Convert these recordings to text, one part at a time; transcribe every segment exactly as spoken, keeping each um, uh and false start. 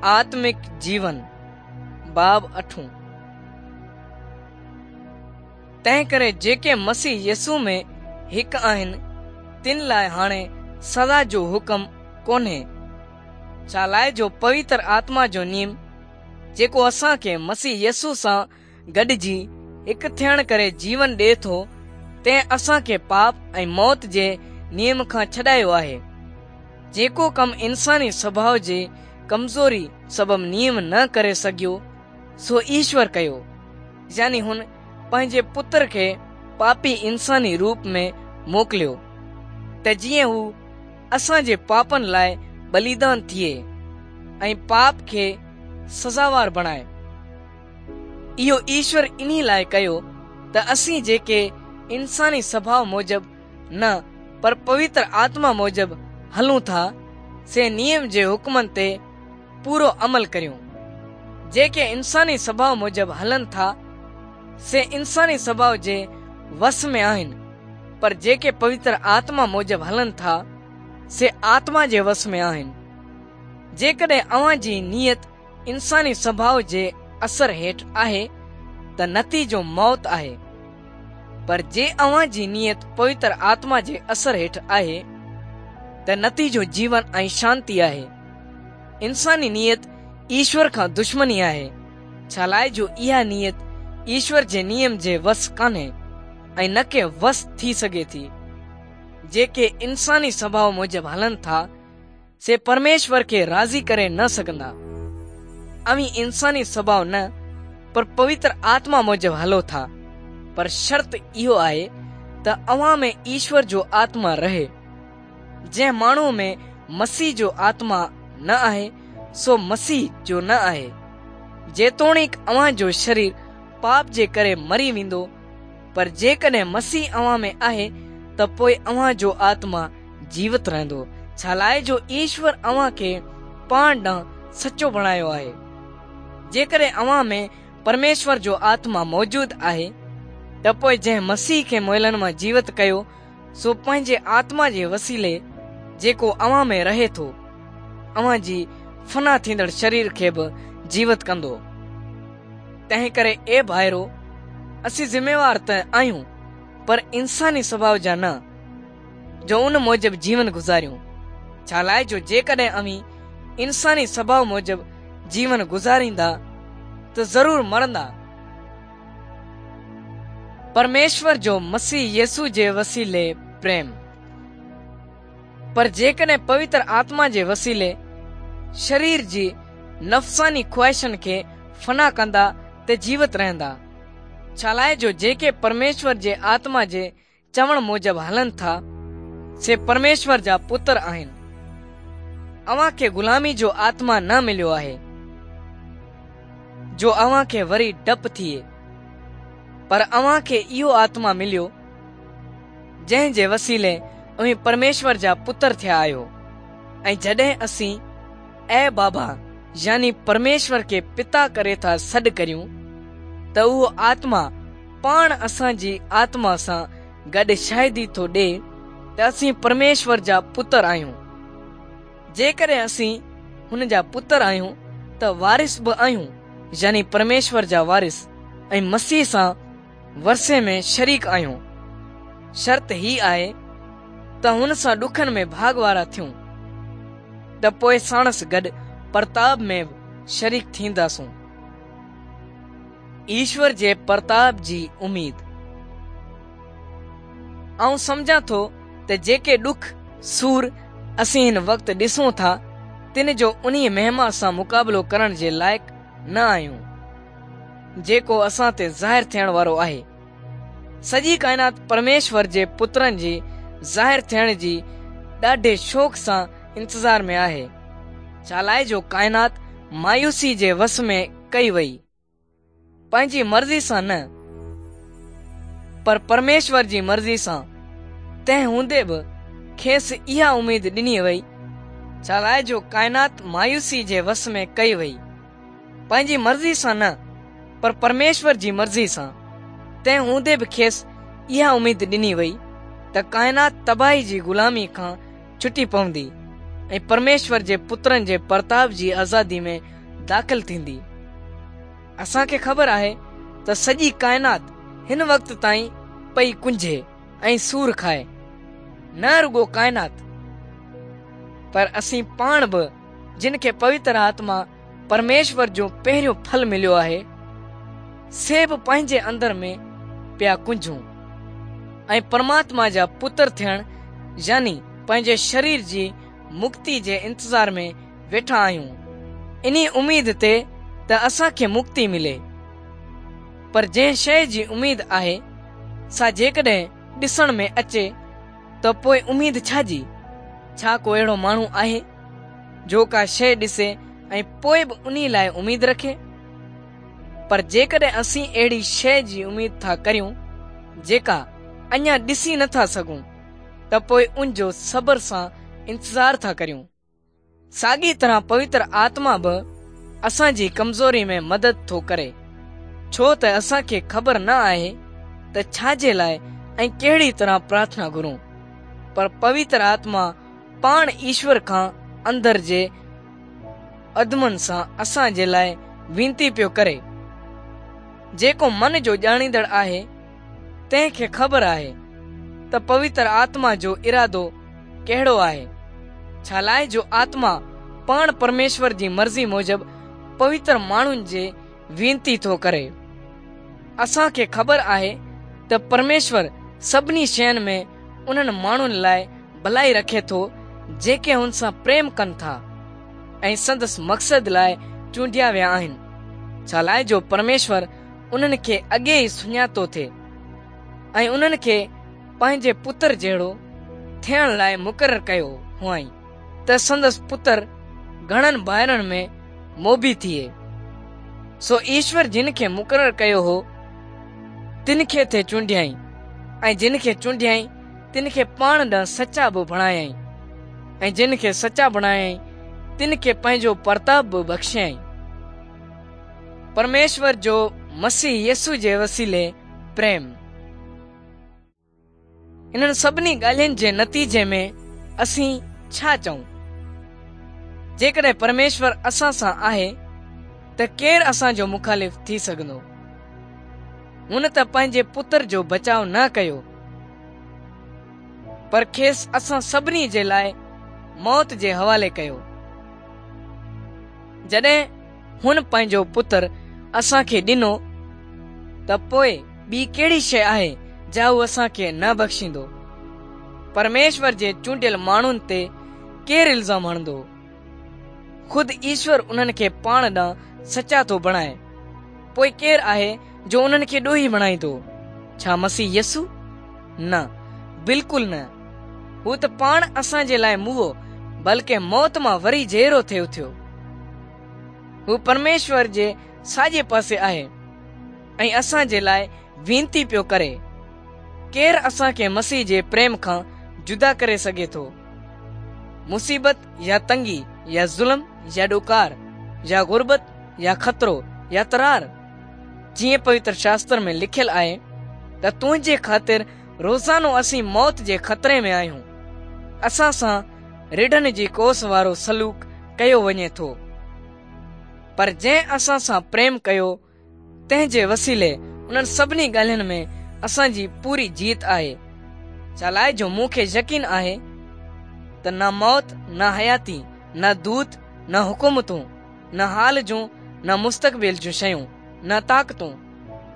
आत्मिक जीवन बाब अठूं। तंहिं करे जेके मसीह यीशु में हिकु आहिनि तिन लाइ हाणे सज़ा जो हुकम कोन्हे, छा लाइ जो पवित्र आत्मा जो नियम जेको असांखे मसीह यीशु सां गॾिजी हिकु थियण करे जीवन ॾिए थो, तंहिं असांखे पाप ऐं मौत जे नियम खां छॾायो आहे। जेको कमु इंसानी स्वभाव जे कमज़ोरी सबब नियम न करे सघियो, सो ईश्वर कयो, यानी हुन पंहिंजे पुत्र खे पापी इंसानी रूप में मोकिलियो त जीअं हू असांजे पापनि लाइ बलिदान थिए ऐं पाप खे सज़ावार बणाए। इहो ईश्वर इन्ही लाइ कयो त असीं जेके इंसानी स्वभाव मूजिबि न पर पवित्र आत्मा मूजिबि हलूं था, से नियम जे हुकमनि ते पूरो अमल करियूं। जेके इंसानी स्वभाव मूजिबि हलनि था, से इंसानी स्वभाव जे वस में आहिनि, पर जेके पवित्र आत्मा मूजिबि हलनि था, से आत्मा जे वस में आहिनि। जेकॾहिं अव्हां जी नीयत इंसानी स्वभाव जे असर हेठि आहे त नतीजो मौत आहे, पर जे अव्हां जी नीयत पवित्र आत्मा जे असर हेठि आहे त नतीजो जीवन ऐं शांति आहे। इंसानी नीयत ईश्वर खां दुश्मनी आहे, छा लाइ जो इहा नीयत ईश्वर जे नियम जे वस कान्हे ऐं न के वस थी सघे थी। जेके इंसानी स्वभाव मूजिबि हलनि था, से परमेश्वर खे राज़ी करे न सघंदा। अव्हीं इंसानी स्वभाव न पर पवित्र आत्मा मूजिबि हलो था, पर शर्त इहो आहे त अव्हां में ईश्वर जो आत्मा रहे। जंहिं माण्हू में मसीह जो आत्मा न आहे, सो मसीह जो न आहे। जेतोणीकि अव्हां जो शरीर पाप जे करे मरी वेंदो, पर जेकॾहिं मसीह अव्हां में आहे त पोइ अव्हां जो आत्मा जीवत रहंदो, छा लाइ जो ईश्वर अव्हां खे पाण ॾांहुं सचो बणायो आहे। जेकॾहिं अव्हां में परमेश्वर जो आत्मा मौजूद आहे त पोइ जंहिं मसीह खे मुयलनि मां जीवत कयो, सो पंहिंजे आत्मा जे वसीले जेको अव्हां में रहे थो, अव्हां जी फना थींदड़ शरीर खे बि जीवत कंदो। तंहिं करे ए भाइरो, असीं ज़िम्मेवार त आहियूं, पर इंसानी स्वभाव जा न, जो उन मूजिबि जीवन गुज़ारियूं। छा लाइ जो जेकॾहिं अव्हीं इंसानी स्वभाव मूजिबि जीवन गुज़ारींदा त ज़रूर मरंदा। परमेश्वर जो मसीह यीशु जे वसीले प्रेम। पर जेकॾहिं पवित्र आत्मा जे वसीले शरीर जी नफ़्सानी ख़्वाहिशनि खे फना कंदा त जीवत रहंदा। छा लाइ जो जेके परमेश्वर जे आत्मा जे चवण मूजिबि हलनि था, से परमेश्वर जा पुत्र आहिनि। अव्हां खे ग़ुलामी जो आत्मा न मिलियो आहे जो अव्हां खे वरी डपु थिए, पर अव्हां खे इहो आत्मा मिलियो जंहिं जे वसीले अव्हीं परमेश्वर जा पुत्र थिया आहियो। ऐं जॾहिं असीं ऐ बाबा यानी परमेश्वर खे पिता करे था सॾु करियूं, त उहो आत्मा पाण असांजी आत्मा सां गॾु शाहिदी थो ॾिए त असीं परमेश्वर जा पुत्र आहियूं। जेकॾहिं असीं हुन जा पुत्र आहियूं त वारिस बि आहियूं, यानी परमेश्वर जा वारिस ऐं मसीह सां वरसे में शरीक आहियूं। शर्त ही आहे त हुन सां ॾुखनि में भाग वारा थियूं, त पोइ साणसि गॾु परताब में बि शरीक थींदासूं। ईश्वर जे परताब जी उम्मीद। आउं सम्झां थो त जेके ॾुख सूर असीं हिन वक़्तु ॾिसूं था, तिन जो उन्ही महिमा सां मुक़ाबिलो करण जे लाइक़ न आहियूं जेको असां ते ज़ाहिर थियण वारो आहे। सॼी काइनात परमेश्वर जे पुत्रनि जी ज़ाहिर थियण जी ॾाढे शौक़ सां इंतज़ार में आहे, छा लाइ जो काइनात मायूसी जे वस में कई वई, पंहिंजी मर्ज़ी सां न पर परमेश्वर जी मर्ज़ी सां। तंहिं हूंदे बि खेसि इहा उम्मीद ॾिनी वई, छा लाइ जो काइनात मायूसी जे वस में कई वई, पंहिंजी मर्ज़ी सां न पर परमेश्वर जी मर्ज़ी सां। तंहिं हूंदे बि खेसि इहा उम्मीद ॾिनी वई त काइनात तबाही जी ग़ुलामी खां छुटी पवंदी ऐं परमेश्वर जे पुत्रनि जे परताप जी आज़ादी में दाख़िल थींदी। असांखे ख़बर आहे त सॼी काइनात हिन वक़्त ताईं पई कुंझे ऐं सूर खाए। न रुगो काइनात पर असीं पाण बि, जिन खे पवित्र आत्मा परमेश्वर जो पहिरियों फल मिलियो आहे, से बि पंहिंजे अंदर में पिया कुंझूं ऐं परमात्मा जा पुत्र थियण यानी पंहिंजे शरीर जी मुक्ति जे इंतज़ार में वेठा आहियूं, इन्ही उम्मीद ते त असांखे मुक्ति मिले। पर जंहिं शइ जी उम्मीद आहे सा जेकॾहिं ॾिसण में अचे त पोइ उम्मीद छाजी? छा को अहिड़ो माण्हू आहे जो का शइ ॾिसे ऐं पोइ बि उन्ही लाइ उम्मीद रखे? पर जेकॾहिं असीं अहिड़ी शइ जी उम्मीद था करियूं जेका अञा ॾिसी नथा सघूं, त पोइ उन जो सब्र सां इंतज़ार था करियूं। साॻी तरह पवित्र आत्मा बि असांजी कमज़ोरी में मदद थो करे, छो त असांखे ख़बर न आहे त छाजे लाइ ऐं कहिड़ी तरह प्रार्थना घुरूं, पर पवित्र आत्मा पाण ईश्वर खां अंदर जे अदमनि सां असां जे लाइ वीनती पियो करे। जेको मन जो ॼाणींदड़ आहे तंहिंखे ख़बर आहे त पवित्र आत्मा जो इरादो कहिड़ो आहे, छा लाइ जो आत्मा पाण परमेश्वर जी मर्ज़ी मूजिबि पवित्र माण्हुनि जे वीनती थो करे। असांखे ख़बर आहे त परमेश्वर सभिनी शयुनि में उन्हनि माण्हुनि लाइ भलाई रखे थो जेके हुन सां प्रेम कनि था ऐं संदसि मक़सद लाइ चूंडिया विया आहिनि, छा लाइ जो परमेश्वर उन्हनि खे अॻे ई सुञातो थिए ऐं उन्हनि खे पंहिंजे पुत्र जहिड़ो थियण लाइ मुक़ररु कयो हुआईं त संदसि पुत्र घणनि भाइरनि में मोबी थिए। सो ईश्वर जिन खे मुक़ररु कयो हो तिन खे थे चूंडियाई ऐं जिन खे चूंडियाई तिन खे पाण ॾांहुं सचा बि बणायाई ऐं जिन खे सचा बणायाई तिन खे पंहिंजो परताप बि बख़्शियाई। परमेश्वर जो मसीह यीशु जे वसीले प्रेम। इन्हनि सभिनी ॻाल्हियुनि जे नतीजे में असीं छा चऊं? जेकॾहिं परमेश्वर असां सां आहे त केरु असांजो मुखालिफ़ थी सघंदो? हुन त पंहिंजे पुत्र जो बचाव न कयो, पर खेसि असां सभिनी जे लाइ मौत जे हवाले कयो। जॾहिं हुन पंहिंजो पुत्र असांखे ॾिनो त पोइ ॿी कहिड़ी शइ आहे जा हू असांखे न बख़्शींदो? परमेश्वर जे चूंडियल माण्हुनि ते केरु इल्ज़ाम हणंदो? ख़ुदि ईश्वर उन्हनि खे पाण ॾांहुं सचा थो बणाए, पोइ केरु आहे जो उन्हनि खे ॾोही बणाईंदो? छा मसीह यीशु? न, बिल्कुलु न। हू त पाण असांजे लाइ मुओ, बल्कि मौत मां वरी जीअरो थिए उथियो। हू परमेश्वर जे साॼे पासे आहे ऐं असांजे लाइ वीनती पियो करे। केरु असांखे मसीह जे प्रेम खां जुदा करे सघे थो? मुसीबत या तंगी या ज़ुल्म या ॾुकार या गुरबत या ख़तरो या तरार? जीअं पवित्र शास्त्र में लिखियल आहे त तुंहिंजे ख़ातिर रोज़ानो असीं मौत जे ख़तरे में आहियूं, असां सां रिढनि जी कोस वारो सलूक कयो वञे थो। पर जंहिं असां सां प्रेम कयो तंहिंजे वसीले उन्हनि सभिनी ॻाल्हियुनि में असांजी पूरी जीत आहे। छा लाइ जो मूंखे यकीन आहे त न मौत, न हयाती, न दूत, न हुकूमतूं, न हाल जूं, न मुस्तक़बिल जूं शयूं, न ताक़तूं,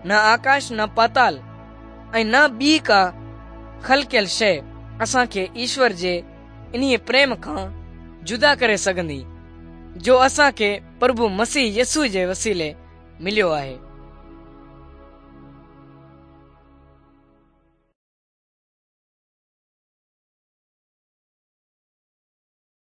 न आकाश, न पाताल ऐं न ॿी का ख़लकियल शइ असांखे ईश्वर जे इन्हीअ प्रेम खां जुदा करे सघंदी जो असांखे प्रभु मसीह यीशु जे वसीले मिलियो आहे।